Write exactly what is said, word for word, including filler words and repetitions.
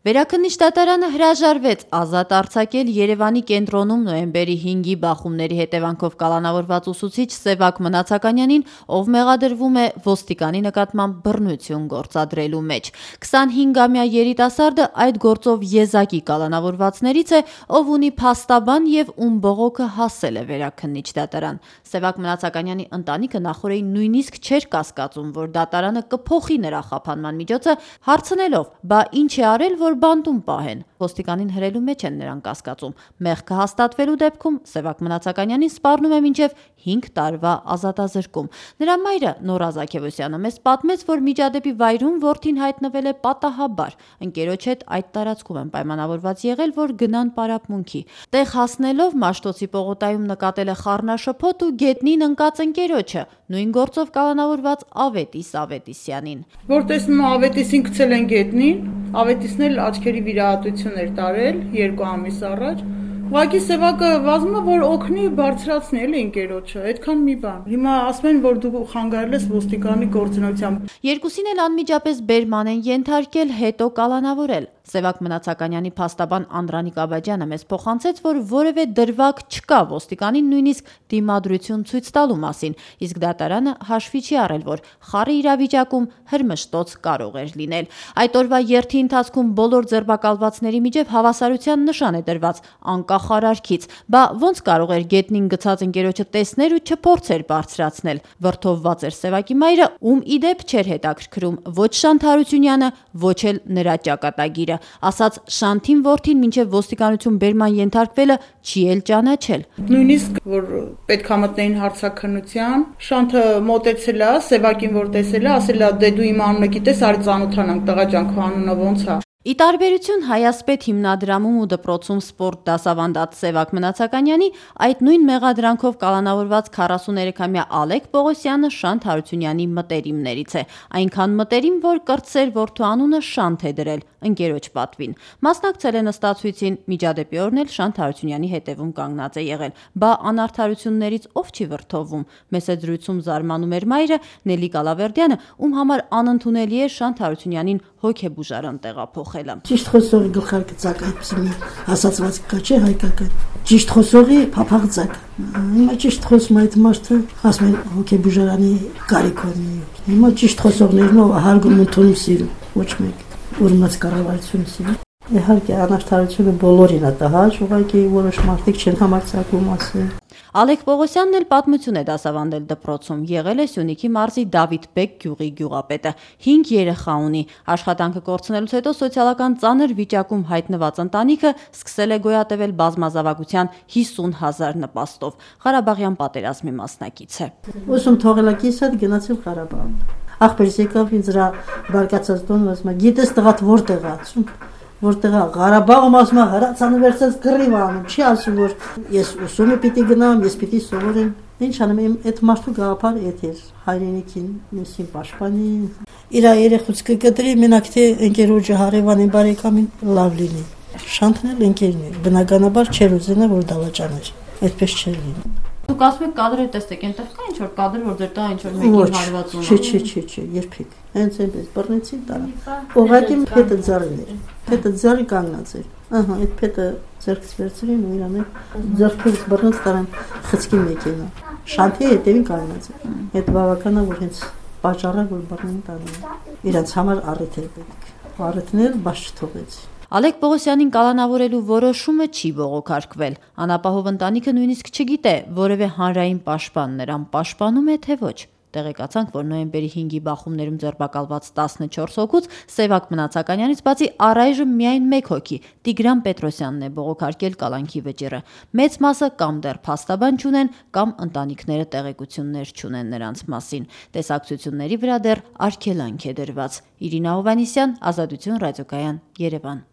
Վերաքննիչ դատարանը հրաժարվեց ազատ արձակել Երևանի կենտրոնում նոյեմբերի հինգի բախումների հետևանքով կալանավորված ուսուցիչ Սևակ Մնացականյանին, ով մեղադրվում է ոստիկանի նկատմամբ բռնություն գործադրելու մեջ։ քսանհինգամյա երիտասարդը այդ գործով եզակի կալանավորվածներից է, ով ունի փաստաբան եւ ում բողոքը հասել է վերաքննիչ դատարան։ Սևակ Մնացականյանի ընտանիքը նախորդին նույնիսկ չէր կասկածում, որ դատարանը կփոխի նրա խափանման միջոցը, հարցնելով՝ բա ինչ է արել, որ բանտում պահեն։ Ոստիկանին հրելու մեջ են նրան կասկածում։ Մեղքը հաստատվելու դեպքում Սևակ Մնացականյանին սպառնում է մինչև հինգ տարվա ազատազրկում։ Նրա մայրը Նորա Զաքևոսյանը մեզ պատմեց, որ միջադեպի վայրում որդին հայտնվել է պատահաբար։ Ընկերոջ հետ այդ տարածքում են պայմանավորված եղել, որ գնան պարապմունքի։ Տեղ հասնելով Մաշտոցի պողոտայում նկատել է խառնաշփոթ ու գետնին ընկած ընկերոջը, նույն գործով կալանավորված Ավետիս Ավետիսյանին։ Որ տեսնում Ավետիսին գցել են գետնին, Ավետիսն էլ աչքերի վիրահատություն էր տարել երկու ամիս առաջ։ Ուղղակի Սևակը վազում է, որ օգնի բարձրացնի էլի ընկերոջը, այդքան մի բան։ Հիմա ասում են, որ դու խանգարել ես ոստիկանի գործունեությամբ։ Երկուսին էլ անմիջապես բերման են ենթարկել, հետո կալանավորել։ Սևակ Մնացականյանի փաստաբան Անդրանիկ Աբաջյանը մեզ փոխանցեց, որ որևէ դրվագ չկա ոստիկանին նույնիսկ դիմադրություն ցույց տալու մասին, իսկ դատարանը հաշվի չի առել, որ խառը իրավիճակում հրմշտոց կարող էր լինել։ Այդ օրվա երթի ընթացքում բոլոր ձերբակալվածների միջև հավասարության նշան է դրված անկախ արարքից։ Բա ոնց կարող էր գետնին գցած ընկերոջը տեսնել ու չփորձեր բարձրացնել։ Վրդովված էր Սևակի մայրը, ում իդեպ չէր հետաքրքրում ոչ Շանթ Հարությունյանը, ոչ էլ նրա ճակատագիրը։ Ասաց Շանթին որդին մինչև ոստիկանություն բերման ենթարկվելը չի էլ ճանաչել։ Նույնիսկ որ պետք է մտնեին հարցաքննության, Շանթը մոտեցել է, Սևակին որ տեսել է, ասել է՝ դե դու իմ անունը գիտես, արի ծանոթանանք, տղա ջան, քո անունը ոնց է։ Ի տարբերություն Հայասպետ հիմնադրամում ու դպրոցում սպորտ դասավանդած Սևակ Մնացականյանի, այդ նույն մեղադրանքով կալանավորված քառասուներեքամյա Ալեք Պողոսյանը Շանթ Հարությունյանի մտերիմներից է, այնքան մտերիմ, որ կրտսեր որդու անունը Շանթ է դրել ընկերոջ պատվին։ Մասնակցել է նստացույցին, միջադեպի օրն էլ Շանթ Հարությունյանի հետևում կանգնած է եղել։ Բա անարդարություններից ով չի վրդովում։ Մեծ զրույցում զարմանում էր մայրը Նելի Կալավերդյանը, ում համար անընդունելի է Շանթ Հարությունյանին հոգեբուժարան տեղափոխելը։ Ճիշտ խոսողի գլխարկը ցակ այդպեսի մի ասացված կա, չէ, հայկական։ Ճիշտ խոսողի փափաղ ցակ։ Հիմա ճիշտ խոսում այդ մարդը, ասում են հոգեբուժարանի կարիք ունի։ Հիմա ճիշտ խոսողներն ով հարգում ընդունում սիրում, ոչ մեկ ուրմած կառավարությունը սիրում։ Իհարկե անարդարությունը բոլորին է տահաճ, ուղղակի որոշ մարդիկ չեն համարձակվում ասել։ Ալեք Պողոսյանն էլ պատմություն է դասավանդել դպրոցում, եղել է Սյունիքի մարզի Դավիթբեկ գյուղի գյուղապետը, հինգ երեխա ունի։ Աշխատանքը կորցնելուց հետո սոցիալական ծանր վիճակում հայտնված ընտանիքը սկսել է գոյատևել բազմազավակության հիսուն հազար նպաստով։ Ղարաբաղյան պատերազմի մասնակից է։ Ուսում թողելակիս հետ գնացել Ղարաբաղ։ Ախպերս եկավ ինձ դրա բարգացած տոնը, ասում է՝ գիտես տղադ որտեղ է, ասում որտեղ է Ղարաբաղում, ասում է հրացանը վերցած գրիվ անում, չի ասում որ ես ուսումը պիտի գնամ, ես պիտի սովորեմ։ Ինչ անեմ, իմ այդ մարդու գաղափարը էդ էր, հայրենիքին մեսին պաշտպանի, իր երեխուց կկտրի, մենակ թե ընկերոջը հարևանին բարեկամին լավ լինի։ Շանթն էլ ընկերն է, բնականաբար չէր ուզենա որ դավաճաներ, այդպես չէր լինի։ Դուք ասում եք կադրը տեսեք, այնտեղ կա ինչ որ կադր, որ ձեր տղա ինչ որ մեկին հարվածում է։ Չէ, չէ, չէ, չէ, երբեք։ Հենց այնպես բռնեցին տարա։ Ուղղակի փետը ձարին էր։ Փետը ձարի կանգնած էր։ Ահա, այդ փետը ձեռքից վերցրին ու իրան ձեռքից բռնած տարան խցկի մեքենա։ Շանթի հետևին կանգնած էր։ Այդ բավականա որ հենց պատճառը որ բռնին տարան։ Իրանց համար առիթ էր պետք։ Առիթներ բաց չթողեց։ Ալեք Պողոսյանին կալանավորելու որոշումը չի բողոքարկվել։ Անապահով ընտանիքը նույնիսկ չգիտե, որևէ հանրային պաշտպան նրան պաշտպանում է, թե ոչ։ Տեղեկացանք, որ նոյեմբերի հինգի բախումներում ձերբակալված տասնչորս հոգուց Սևակ Մնացականյանից բացի առայժմ միայն մեկ հոգի՝ Տիգրան Պետրոսյանն է բողոքարկել կալանքի վճիռը։ Մեծ մասը կամ դեռ փաստաբան չունեն, կամ ընտանիքները տեղեկություններ չունեն նրանց մասին։ Տեսակցությունների վրա դեռ արգելանք է դրված։ Իրինա Հովհաննիսյան, Ազատություն ռադիոկայան, Երևան։